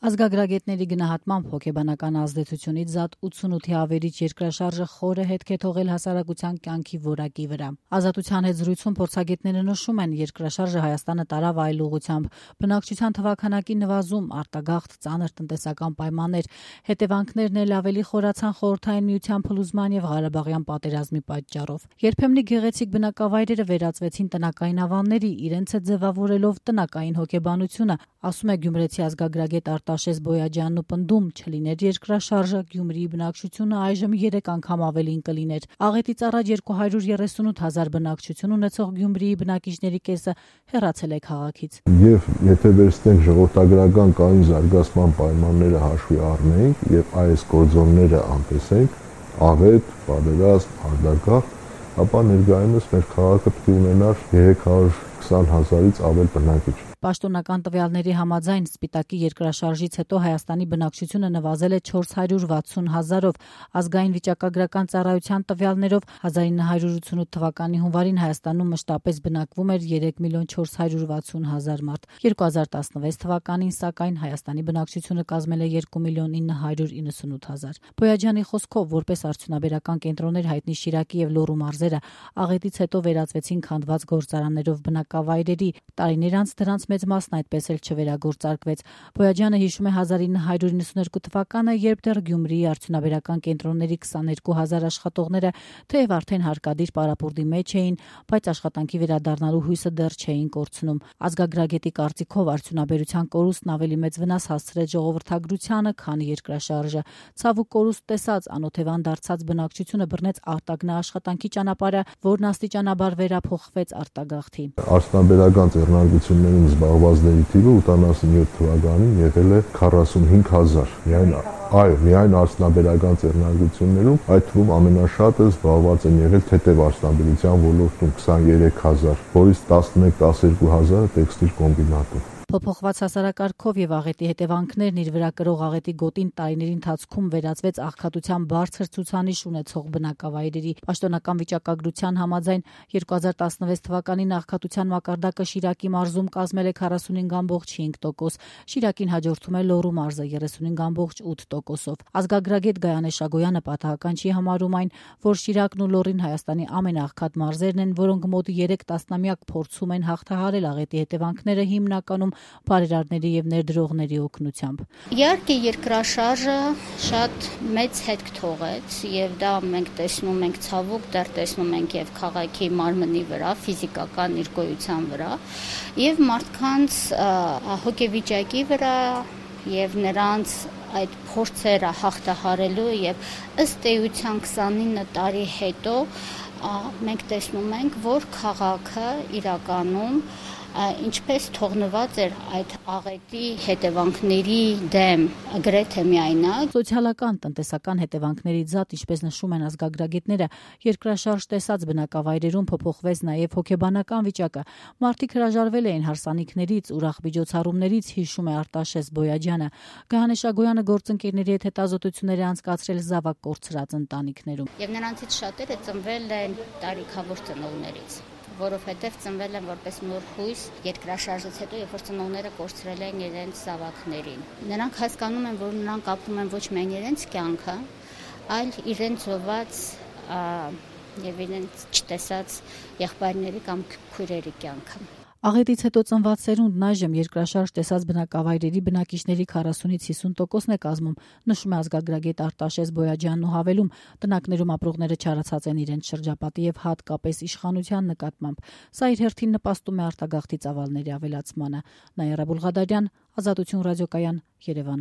Ազգագրագետների գնահատմամբ հոգեբանական ազդեցությունից զատ 88-ի ավերիչ երկրաշարժը խորը հետք է թողել հասարակության կյանքի որակի վրա։ Ազատության հետ զրույցում փորձագետները նշում են, երկրաշարժը Հայաստանը տարավ այլ ուղղությամբ, բնակչության թվաքանակի նվազում, արտագաղթ, ծանր տնտեսական պայմաններ, հետևանքներն էլ ավելի խորացան Խորհրդային Միության փլուզման եւ Ղարաբաղյան պատերազմի պատճառով։ Երբեմնի գեղեցիկ բնակավայրերը վերածվեցին տնակային ավանների, իրենց հետ ձևավորելով տնակային հոգեբանությունը, ասում է գյումրեցի ազգագրագետ Արտաշես Բոյաջյանն ու պնդում, չլիներ երկրաշարժը, Գյումրիի բնակչությունը այժմ 3 անգամ ավելին կլիներ։ Աղետից առաջ 238,000 բնակչություն ունեցող Գյումրիի բնակիչների կեսը հեռացել է քաղաքից։ Եվ եթե վերցնենք ժողովրդագրական կայուն զարգացման պայմանները հաշվի առնենք եւ այս գործոնները անտեսենք, աղետ, պատերազմ, արտագաղթ, ապա ներկայումս մեր քաղաքը պետք է ունենար 320,000-ից ավել բնակիչ։ Պաշտոնական տվյալների համաձայն Սպիտակի երկրաշարժից հետո Հայաստանի բնակչությունը նվազել է 460,000-ով, ազգային վիճակագրական ծառայության տվյալներով 1988 թվականի հունվարին Հայաստանում մշտապես բնակվում էր 3,460,000 մարդ։ 2016 թվականին սակայն Հայաստանի բնակչությունը կազմել է 2,998,000։ Բոյաջյանի խոսքով, որպես արդյունաբերական կենտրոններ հայտնի Շիրակի եւ Լոռու մարզերը աղետից հետո վերածվեցին քանդված գործարաններով բնակավայրերի, տարիներ անց դրանց մեծ մասն այդպես էլ չվերագործարկվեց։ Բոյաջյանը հիշում է 1992 թվականը, երբ դեռ Գյումրիի արդյունաբերական կենտրոնների 22,000 աշխատողները թեև արդեն հարկադիր պարապուրդի մեջ էին, բայց աշխատանքի վերադառնալու հույսը դեռ չէին կորցնում։ Ազգագրագետի կարծիքով արդյունաբերության կորուստն ավելի մեծ վնաս հասցրեց ժողովրդագրությանը, քան երկրաշարժը։ Ցավոք կորուստ տեսած, անօթևան դարձած բնակչությունը բռնեց արտագնա-աշխատանքի ճանապարհը, որն աստիճանաբար վերափոխվեց արտագաղթի։ Արդյունաբերական ձեռնարկություններում զբաղվածների թիվը 87 թվականին եղել է 45,000։ Միայն արդյունաբերական ձեռնարկություններում, այդ թվում ամենաշատը զբաղված են եղել թեթև արդյունաբերության ոլորտում 23,000, որից 11-12,000 տեքստիլ կոմբինատում։ Փոփոխված հասարակարգով եւ աղետի հետևանքներն իր վրա կրող աղետի գոտին տարիների ընթացքում վերածվեց աղքատության բարձր ցուցանիշ ունեցող բնակավայրերի։ Պաշտոնական վիճակագրության համաձայն 2016 թվականին աղքատության մակարդակը Շիրակի մարզում կազմել է 45,5%, Շիրակին հաջորդում է Լոռու մարզը 35,8%-ով։ Ազգագրագետ Գայանե Շագոյանը պատահական չի համարում այն, որ Շիրակն ու Լոռին Հայաստանի ամենաաղքատ մարզերն են, որոնք մոտ 3 տասնամյակ փորձում են հաղթահարել աղետի հետևանքները հիմնականում բարերարների եւ ներդրողների օգնությամբ։ Իհարկե երկրաշարժը շատ մեծ հետք թողեց եւ դա մենք տեսնում ենք, ցավոք դեռ տեսնում ենք եւ քաղաքի մարմնի վրա, ֆիզիկական իր գոյության վրա եւ մարդկանց հոգեվիճակի վրա եւ նրանց այդ փորձերը հաղթահարելու եւ ըստ էության 29 տարի հետո մենք տեսնում ենք, որ քաղաքը իրականում ինչպես թողնված էր այդ աղետի հետևանքների դեմ գրեթե միայնակ։ Սոցիալական, տնտեսական հետևանքներից զատ, ինչպես նշում են ազգագրագետները, երկրաշարժ տեսած բնակավայրերում փոփոխվեց նաև հոգեբանական վիճակը։ Մարդիկ հրաժարվել էին հարսանիքներից, ուրախ միջոցառումներից, հիշում է Արտաշես Բոյաջյանը։ Գայանե Շագոյանը գործընկերների հետ հետազոտություններ է անցկացրել զավակ կորցրած ընտանիքներում։ Եվ նրանցից շատերը ծնվել են տարիքավոր ծնողներից, որովհետև ծնվել են որպես նոր հույս երկրաշարժից հետո, երբ որ ծնողները կորցրել են իրենց զավակներին։ Նրանք հասկանում են, որ նրանք ապրում են ոչ միայն իրենց կյանքը, այլ իրենց զոհված եւ իրենց չտեսած եղբայրների կամ քույրերի կյանքը։ Աղետից հետո ծնված սերունդն այժմ երկրաշարժ տեսած բնակավայրերի բնակիչների 40-ից 50%-ն է կազմում, նշում է ազգագրագետ Արտաշես Բոյաջյանն ու հավելում, տնակներում ապրողները չարացած են իրենց շրջապատի եւ հատկապես իշխանության նկատմամբ։ Սա իր հերթին նպաստում է արտագաղթի ծավալների ավելացմանը։ Նայարա Բուլղադարյան, Ազատություն ռադիոկայան, Երևան։